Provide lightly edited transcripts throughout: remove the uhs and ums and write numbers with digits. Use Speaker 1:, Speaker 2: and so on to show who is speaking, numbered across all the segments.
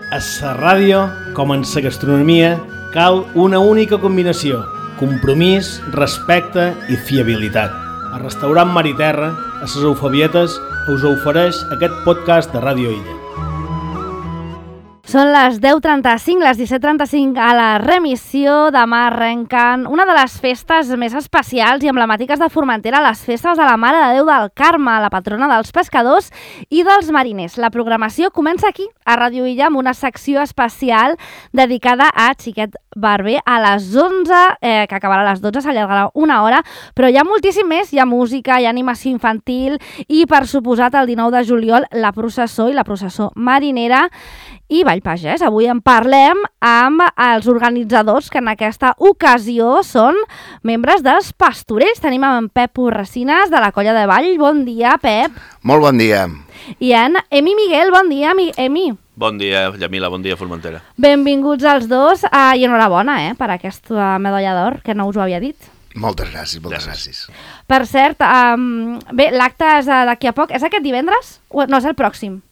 Speaker 1: A la ràdio, com en la gastronomia, cal una única combinació: compromís, respecte i fiabilitat. El restaurant Mar i Terra, a les Eufebietes, us ofereix aquest podcast de Ràdio Illa.
Speaker 2: Són les 10:35, les 17:35 a la remissió. Demà arrenquen una de les festes més especials i emblemàtiques de Formentera, les festes de la Mare de Déu del Carme, la patrona dels pescadors i dels mariners. La programació comença aquí, a Ràdio Illa, amb una secció especial dedicada a Xiquet Barber a les 11, que acabarà a les 12, s'allargarà una hora, però hi ha moltíssim més, hi ha música, hi ha animació infantil i, per suposat, el 19 de juliol, la processó i la processó marinera i Ball Pagès. Avui en parlem amb els organitzadors, que en aquesta ocasió són membres dels Pastorells. Tenim en Pep Urresines, de la Colla de Ball. Bon dia, Pep.
Speaker 3: Molt bon dia.
Speaker 2: I en Emi Miguel. Bon dia, Emi.
Speaker 4: Bon dia, Llamila. Bon dia, Formentera.
Speaker 2: Benvinguts els dos i enhorabona per aquesta medalla d'or, que no us ho havia dit.
Speaker 3: Moltes gràcies, moltes gràcies.
Speaker 2: Per cert, bé, l'acte és d'aquí a poc. És aquest divendres? No, és el pròxim.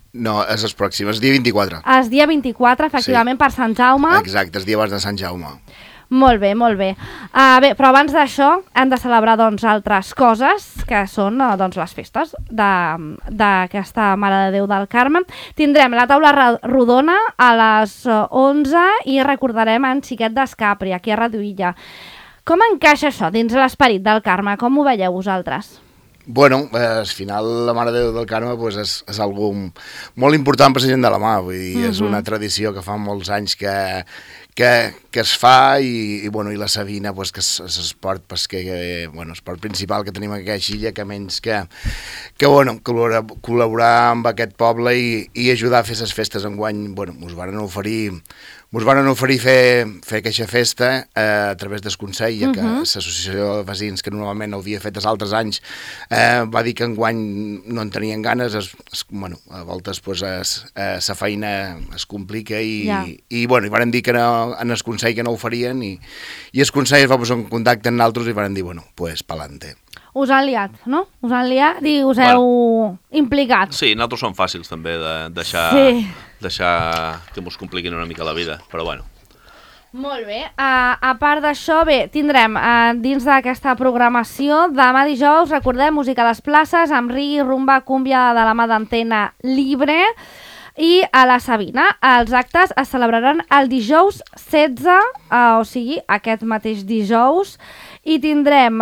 Speaker 3: No, és el pròxim, és dia 24.
Speaker 2: És dia 24, efectivament, sí. Per Sant Jaume.
Speaker 3: Exacte, és dia abans de Sant Jaume.
Speaker 2: Molt bé, molt bé. Bé, però abans d'això hem de celebrar altres coses, que són les festes d'aquesta Mare de Déu del Carme. Tindrem la taula rodona a les 11 i recordarem en Xiquet d'Escapri, aquí a Ràdio Illa. Com encaixa això dins l'esperit del Carme? Com ho veieu vosaltres?
Speaker 3: Bueno, al final la Mare de Déu del Carme és algo molt important per la gent de la mà, vull dir, és una tradició que fa molts anys que es fa i la Sabina, que és l'esport esport principal que tenim aquí a Xilla, que menys que col·laborar amb aquest poble i ajudar a fer les festes enguany. Us varen oferir fer aquesta festa a través del Consell, ja que l'associació de veïns, que normalment ho havia fet els altres anys, va dir que enguany no en tenien ganes. A voltes la feina es complica i varen dir que en el Consell que no ho farien i el Consell es va posar en contacte amb nosaltres i varen dir, pa'lante.
Speaker 2: Us han liat, no? Us han liat i us heu implicat.
Speaker 4: Sí, nosaltres som fàcils també de deixar que ens compliquin una mica la vida, però bueno.
Speaker 2: Molt bé. A part d'això, tindrem dins d'aquesta programació, demà dijous, recordem, música a les places, amb reggae, rumba, cúmbia de la mà d'Antena Libre. I a la Sabina, els actes es celebraran el dijous 16, o sigui, aquest mateix dijous, i tindrem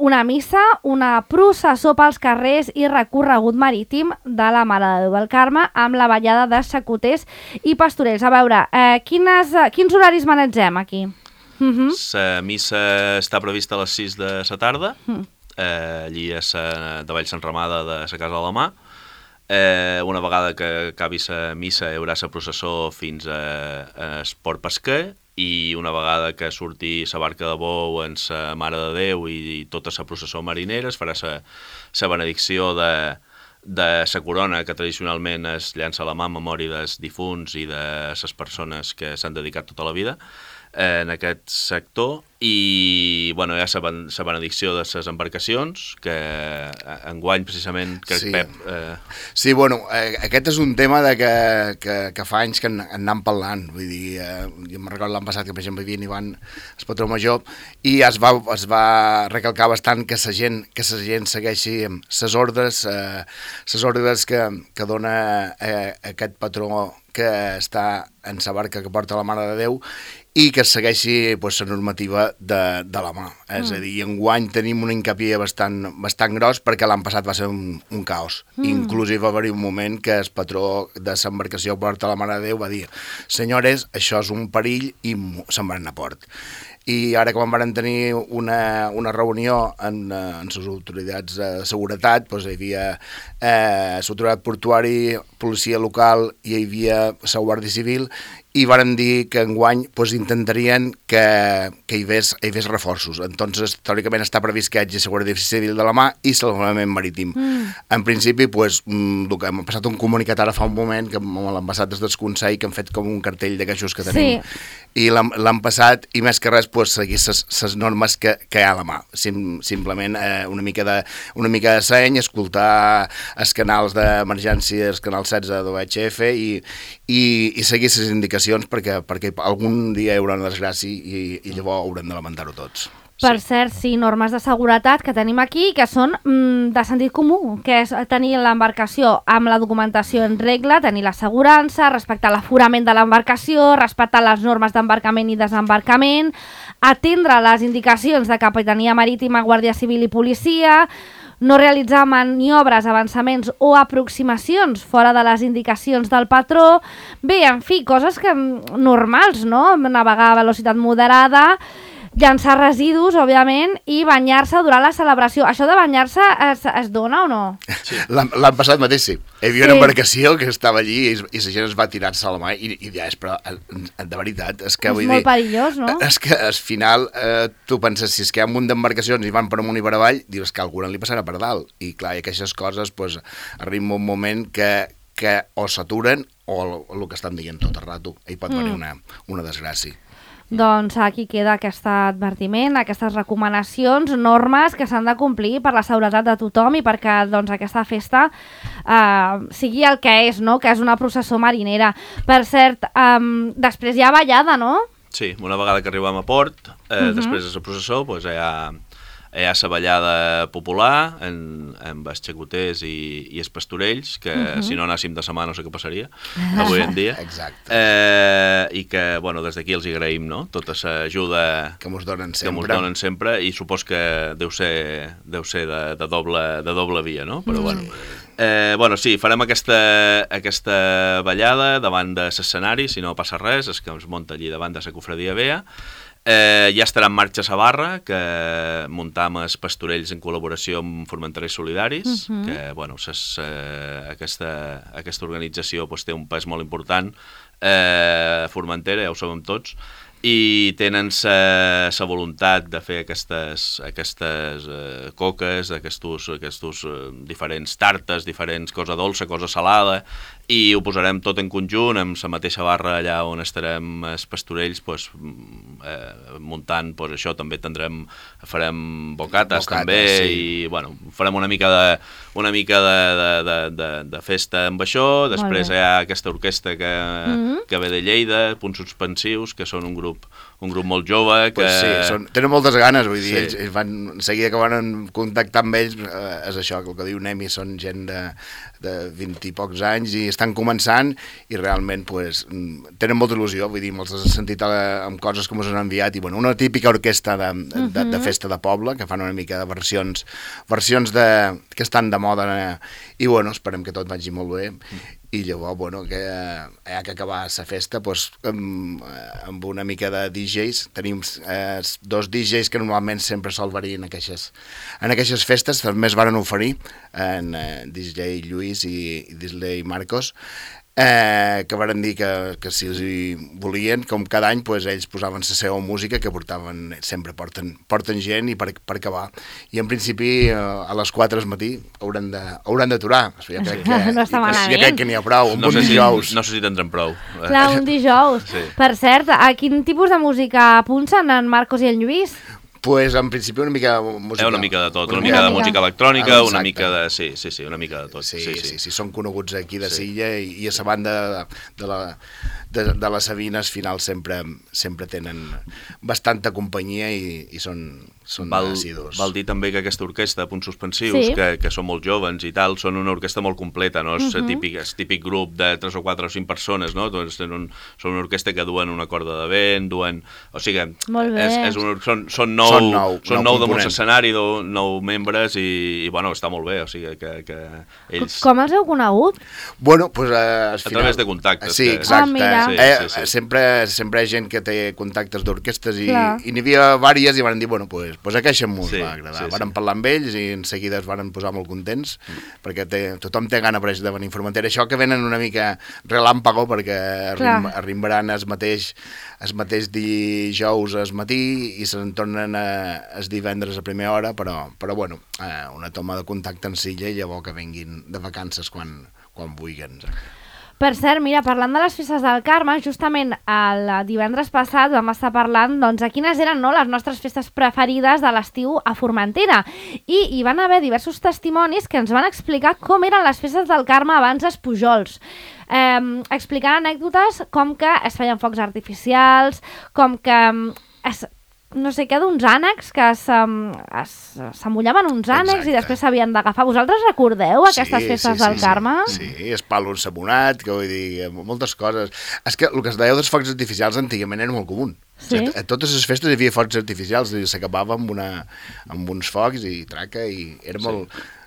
Speaker 2: una missa, una processó pels carrers i recorregut marítim de la Mare de Déu del Carme amb la ballada de xacoters i pastorells. A veure, quins horaris manegem aquí?
Speaker 4: La missa està prevista a les 6 de la tarda, allí a de Vall Sant Ramada de la Casa de la Mà. Una vegada que acabi la missa hi haurà la processó fins a Port Pesquer i una vegada que surti la barca de bou en la Mare de Déu i tota la processó marinera es farà la benedicció de la corona que tradicionalment es llança a la mà en memòria dels difunts i de les persones que s'han dedicat tota la vida en aquest sector i hi ha la benedicció de les embarcacions que enguany precisament Pep...
Speaker 3: Sí, aquest és un tema que fa anys que en anem parlant, vull dir, jo me'n recordo l'any passat que per exemple hi havia Ivan, el patró major, i es va recalcar bastant que la gent segueixi les ordres que dona aquest patró que està en la barca que porta la Mare de Déu i que segueixi la normativa de la mà. És a dir, enguany tenim un hincapié bastant gros perquè l'any passat va ser un caos. Inclusive va haver un moment que el patró de l'embarcació que porta la Mare de Déu va dir: senyores, això és un perill, i se'n van anar a port. I ara quan van tenir una reunió amb les autoritats de seguretat, hi havia l'autoritat portuari, policia local i hi havia la Guàrdia Civil, i varen dir que enguany intentarien que hi hagués reforços. Entonces, teòricament està previst que hi hagi la Guàrdia Civil de la mà i salvament marítim. En principi, hem passat un comunicat ara fa un moment que amb l'ambassat des del Consell que han fet com un cartell de queixos que tenim. I l'han passat, i més que res pues, seguir les normes que hi ha a la mà. Simplement una mica de seny, escoltar els canals d'emergència, els canals 16 d'OHF i seguir les indicacions perquè algun dia hi haurà una desgràcia i llavors haurem de lamentar-ho tots.
Speaker 2: Per cert, sí, normes de seguretat que tenim aquí que són de sentit comú, que és tenir l'embarcació amb la documentació en regla, tenir l'assegurança, respectar l'aforament de l'embarcació, respectar les normes d'embarcament i desembarcament, atendre les indicacions de Capitania Marítima, Guàrdia Civil i Policia, no realitzar maniobres, avançaments o aproximacions fora de les indicacions del patró. Bé, en fi, coses que normals, no? Navegar a velocitat moderada, llançar residus, òbviament, i banyar-se durant la celebració. Això de banyar-se es dona o no?
Speaker 3: Sí. L'any passat mateix sí. Hi havia una embarcació que estava allí i la gent es va tirar-se a la mà i ja és, però de veritat, és que vull dir...
Speaker 2: És molt perillós, no?
Speaker 3: És que al final tu penses, si és que hi ha un munt d'embarcacions i van per amunt i per avall, dius que alguna li passarà per dalt. I clar, i aquestes coses pues, arriba un moment que o s'aturen o el que estan dient tot el rato. I pot venir una desgràcia.
Speaker 2: Doncs aquí queda aquest advertiment, aquestes recomanacions, normes que s'han de complir per la seguretat de tothom i perquè doncs, aquesta festa sigui el que és, no? Que és una processó marinera. Per cert, després hi ha ballada, no?
Speaker 4: Sí, una vegada que arribem a port, després de la processó, doncs hi ha la ballada popular amb els xacoters i els pastorells, que si no anàssim de setmana no sé què passaria avui en dia.
Speaker 3: Exacte.
Speaker 4: I que, bueno, des d'aquí els agraïm, no? Tota l'ajuda
Speaker 3: que mos donen
Speaker 4: sempre i supos que deu ser de doble via, no? Però bueno, sí, farem aquesta ballada davant de l'escenari, si no passa res, és que ens munta allí davant de la cofradia Bea. Ja estarà en marxa la barra, que muntam els pastorells en col·laboració amb Formenterers Solidaris, que bueno, aquesta organització pues, té un pes molt important a Formentera, ja ho sabem tots, i tenen la voluntat de fer aquestes coques, aquests diferents tartes, diferents cosa dolça, cosa salada, i ho posarem tot en conjunt amb la mateixa barra allà on estarem els pastorells pues, muntant pues, això. També farem bocates també, sí. I bueno, farem una mica de festa amb això. Després hi ha aquesta orquestra que ve de Lleida, Punts Suspensius, que són un grup molt jove. Que...
Speaker 3: Pues sí, tenen moltes ganes, vull dir, sí. Ells van, seguida que van contactar amb ells, és això, el que diu Nemi, són gent de 20 i pocs anys i estan començant i realment pues, tenen molta il·lusió, vull dir, molts has sentit amb coses que ens han enviat i bueno, una típica orquestra de festa de poble que fan una mica de versions que estan de moda i bueno, esperem que tot vagi molt bé. I llavors, bueno, que hi ha que acabar la festa pues, amb una mica de DJs. Tenim dos DJs que normalment sempre sol venir en aquestes festes, també es van oferir en DJ Lluís i DJ Marcos, que van dir que si els hi volien, com cada any, pues, ells posaven la seva música que sempre porten gent i per acabar. I en principi a les 4 del matí hauran d'aturar. Jo crec que n'hi ha prou, un dijous.
Speaker 4: No sé si tindrem prou.
Speaker 2: Clar, un dijous. Sí. Per cert, a quin tipus de música punxen en Marcos i en Lluís?
Speaker 3: Pues en principi una mica música...
Speaker 4: Una mica de tot, una mica de música electrònica, una mica de... Sí, una mica de tot.
Speaker 3: Sí, són coneguts aquí de Silla i a la banda de les Sabines al final sempre tenen bastanta companyia i són assidus.
Speaker 4: Val dir també que aquesta orquestra, Punts Suspensius, que són molt joves i tal, són una orquestra molt completa, no? És típic grup de 3 o 4 o 5 persones, no? Doncs són una orquestra que duen una corda de vent, o sigui, són 9 damunt l'escenari, 9 membres i bueno, està molt bé, o sigui que ells...
Speaker 2: Com els heu conegut?
Speaker 3: Bueno, pues al final...
Speaker 4: A través de contactes.
Speaker 3: Sí, exacte. Sempre hi ha gent que té contactes d'orquestres i n'hi havia diverses i van dir, bueno, pues aquesta ens va agradar. Varen parlar amb ells i en seguida es van posar molt contents perquè tothom té gana de venir a Formentera. Això que venen una mica relàmpago perquè arribaran el mateix dijous al matí i se'n tornen el divendres a primera hora, però bueno, una toma de contacte en Silla i llavors que venguin de vacances quan vulguin.
Speaker 2: Per cert, mira, parlant de les festes del Carme, justament el divendres passat vam estar parlant doncs, de quines eren les nostres festes preferides de l'estiu a Formentera. I hi van haver diversos testimonis que ens van explicar com eren les festes del Carme abans dels Pujols. Explicant anècdotes com que es feien focs artificials, com que no sé què, d'uns ànecs que s'amullaven uns ànecs i després s'havien d'agafar. Vosaltres recordeu aquestes festes del Carme?
Speaker 3: Sí, és palo ensabonat, que vull dir, moltes coses. És que el que es deia dels focs artificials antigament era molt comú.
Speaker 2: Sí.
Speaker 3: A totes les festes hi havia focs artificials i s'acabava amb uns focs i traca i era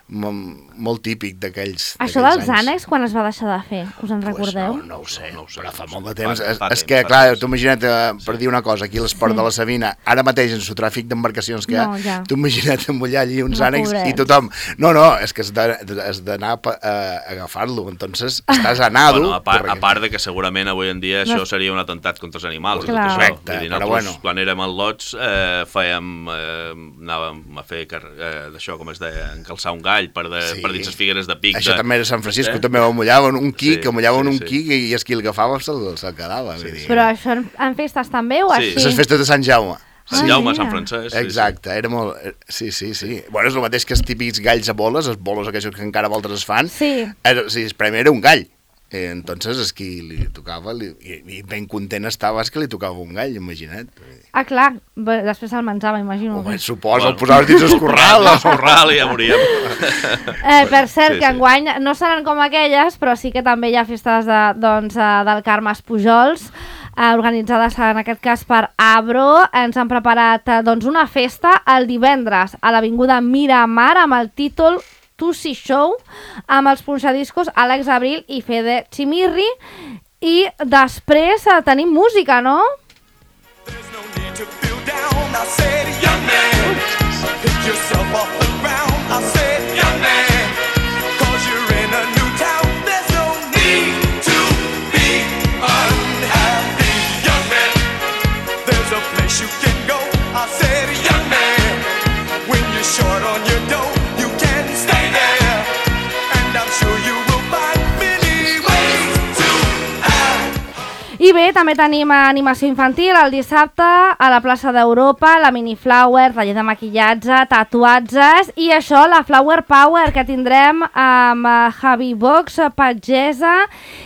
Speaker 3: molt típic d'aquells
Speaker 2: Això dels ànecs, quan es va deixar de fer? Us en recordeu?
Speaker 3: No ho sé, però fa molt de temps. És que, clar, tu imagina't, per dir una cosa, aquí a l'esport de la Sabina, ara mateix en el tràfic d'embarcacions que hi ha, tu imagina't embollar allí uns ànecs i tothom... No, és que has d'anar a agafar-lo, entonces estàs a nado...
Speaker 4: A part de que segurament avui en dia això seria un atemptat contra els animals.
Speaker 3: Correcte, però bueno.
Speaker 4: Quan érem al Lots anàvem a fer d'això, com es deia, encalçar un gall per dins les figueres de pic.
Speaker 3: Això també era Sant Francisco, també ho mullaven un quic, i el qui el agafava se'l quedava.
Speaker 2: Però això en festes també o així?
Speaker 3: Les festes de Sant Jaume.
Speaker 4: Sant Jaume, Sant Francesc.
Speaker 3: Exacte, era molt... Sí. Bueno, és el mateix que els típics galls a boles, els bolos aquells que encara voltes es fan.
Speaker 2: Sí.
Speaker 3: El premi era un gall. Entonces, és qui li tocava, i ben content estava, és que li tocava un gall, imagina't.
Speaker 2: Clar, després se'l menjava, imagino.
Speaker 3: Home, suposo, el posaves dins el corral.
Speaker 4: El corral i ja moríem.
Speaker 2: Per cert, que enguany no seran com aquelles, però sí que també hi ha festes del Carme Pujols, organitzades en aquest cas per Abro. Ens han preparat una festa el divendres a l'Avinguda Miramar amb el títol Tussi Show, amb els punxadiscos Àlex Abril i Fede Chimirri, i després tenim música, no? I bé, també tenim animació infantil el dissabte a la plaça d'Europa, la Mini Flower, taller de maquillatge, tatuatges i això, la Flower Power, que tindrem amb Javi Box, Pagesa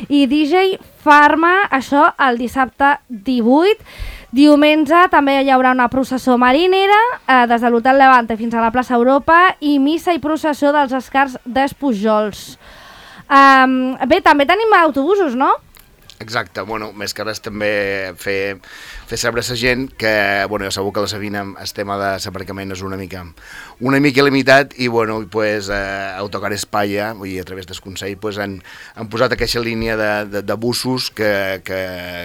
Speaker 2: i DJ Farma, això el dissabte 18. Diumenge també hi haurà una processó marinera des de l'Hotel Levante fins a la plaça Europa i missa i processó dels Escars d'Espujols. Bé, també tenim autobusos, no?
Speaker 3: Exacte, bueno, més que res també fer saber a la gent que, bueno, ja sabeu que a la Sabina el tema de l'aparcament és una mica limitat i, bueno, pues, Autocar España, vull dir, a través del Consell, pues, han posat aquesta línia de busos que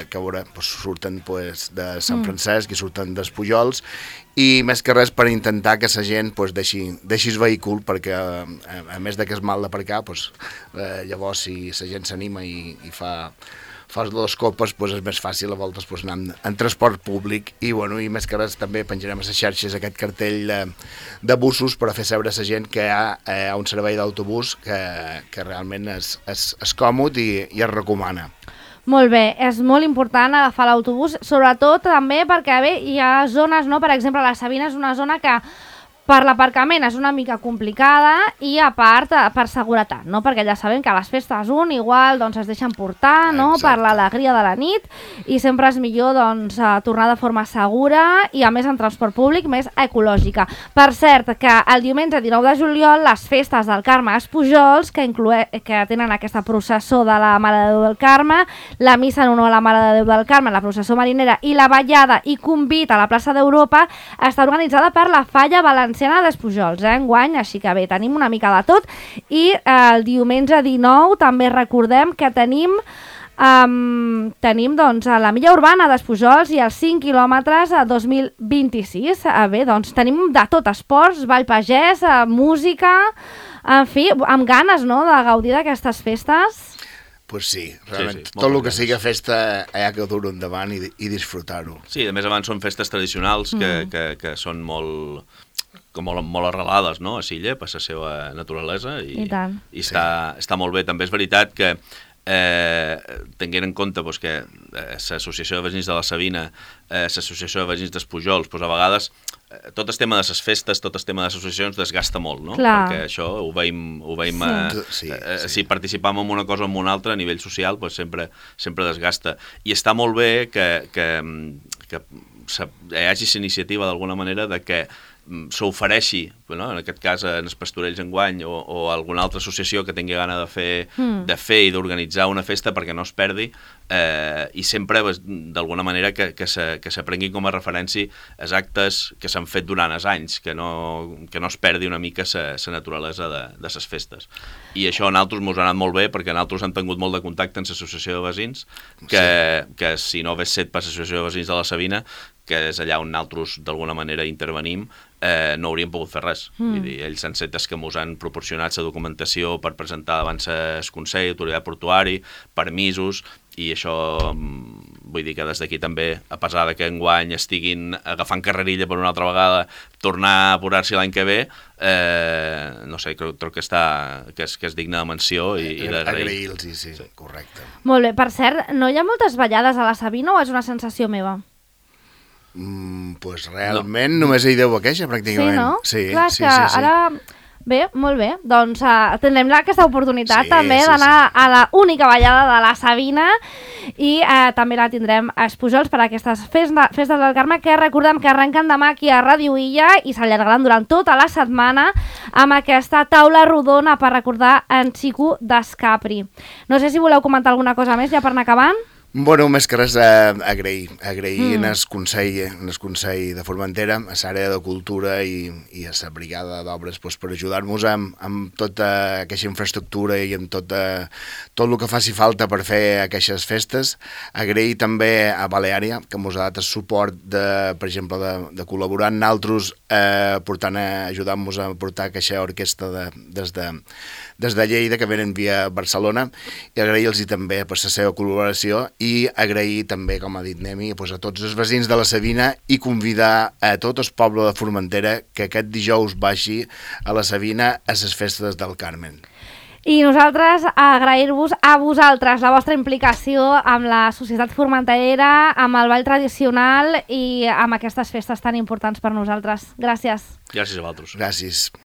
Speaker 3: veure, pues, surten pues, de Sant Francesc i surten dels Pujols i més que res per intentar que la gent pues, deixi el vehícul perquè a més de que és mal d'aparcar, pues, llavors si la gent s'anima i fas dues copes, doncs és més fàcil a voltes doncs, anar en transport públic i, bueno, i més que res també penjarem a les xarxes aquest cartell de busos per a fer saber a la gent que hi ha un servei d'autobús que realment és còmode i es recomana.
Speaker 2: Molt bé, és molt important agafar l'autobús, sobretot també perquè bé, hi ha zones, no? Per exemple, la Sabina és una zona que per l'aparcament és una mica complicada i a part per seguretat, no? Perquè ja sabem que a les festes igual doncs, es deixen portar, no? Per l'alegria de la nit i sempre és millor doncs, tornar de forma segura i a més en transport públic més ecològica. Per cert, que el diumenge 19 de juliol les festes del Carme Pujols que tenen aquesta processó de la Mare de Déu del Carme, la missa en honor a la Mare de Déu del Carme, la processó marinera i la ballada i convit a la plaça d'Europa està organitzada per la Falla Valenciana d'Espujols, enguany, així que bé, tenim una mica de tot i el diumenge 19 també recordem que tenim doncs la milla urbana d'Espujols i els 5 quilòmetres a 2026. Bé, doncs tenim de tot, esports, ball pagès, música, en fi, amb ganes, no?, de gaudir d'aquestes festes.
Speaker 3: Pues sí, realment, tot el que sigui festa hi ha que dur-ho endavant i disfrutar-ho.
Speaker 4: Sí, a més abans són festes tradicionals que són molt arrelades, no?, a Silla, per la seva naturalesa i està molt bé. També és veritat que tenint en compte doncs, que l'Associació de Veïns de la Sabina, l'Associació de Veïns dels Pujols, doncs, a vegades tot el tema de les festes, tot el tema de les associacions desgasta molt, no?
Speaker 2: Clar.
Speaker 4: Perquè això ho veiem
Speaker 3: Sí.
Speaker 4: si participam en una cosa o en una altra a nivell social, doncs sempre desgasta. I està molt bé que hi hagi la iniciativa d'alguna manera de que s'ofereixi, no? En aquest cas en els Pastorells enguany o alguna altra associació que tingui gana de fer i d'organitzar una festa perquè no es perdi, i sempre d'alguna manera que s'aprengui com a referència els actes que s'han fet durant els anys, que no es perdi una mica la naturalesa de les festes. I això a nosaltres ens ha anat molt bé perquè nosaltres hem tingut molt de contacte amb l'associació de veïns, que si no hagués set per l'associació de veïns de la Sabina, que és allà on nosaltres d'alguna manera intervenim, no hauríem pogut fer res. Vull dir, ells han set els que ens han proporcionat la documentació per presentar davant el Consell, Autoritat Portuari, permisos, i això vull dir que des d'aquí també, a pesar que enguany estiguin agafant carrerilla per una altra vegada, tornar a apurar-s'hi l'any que ve, no sé, crec que és digne de menció i d'agrair.
Speaker 3: Agrair-los, sí, correcte.
Speaker 2: Molt bé, per cert, no hi ha moltes ballades a la Sabina o és una sensació meva?
Speaker 3: Pues realment només hi deu aquella, pràcticament.
Speaker 2: Sí, no?
Speaker 3: Sí,
Speaker 2: clar,
Speaker 3: sí.
Speaker 2: Ara... Bé, molt bé, doncs tindrem aquesta oportunitat també
Speaker 3: sí,
Speaker 2: d'anar a la única ballada de la Sabina i també la tindrem a Pujols per aquestes festes del Carme que recordem que arrenquen demà aquí a Ràdio Illa i s'allargaran durant tota la setmana amb aquesta taula rodona per recordar en Xico d'Escapri. No sé si voleu comentar alguna cosa més ja per anar acabant.
Speaker 3: Bueno, més que res agrair en el Consell de Formentera, a l'àrea de cultura i a la brigada d'obres per ajudar-nos amb tota aquesta infraestructura i amb tot el que faci falta per fer aquestes festes. Agrair també a Baleària, que ens ha dat el suport, per exemple, de col·laborar amb nosaltres, ajudant-nos a portar aquesta orquestra des de Lleida, que venen via Barcelona, i agrair-los també per la seva col·laboració i agrair també, com ha dit Nemi, a tots els veïns de la Sabina i convidar a tot el poble de Formentera que aquest dijous vagi a la Sabina a les festes del Carmen.
Speaker 2: I nosaltres agrair-vos a vosaltres la vostra implicació amb la societat formenterera, amb el ball tradicional i amb aquestes festes tan importants per nosaltres. Gràcies.
Speaker 4: Gràcies a vosaltres.
Speaker 3: Gràcies.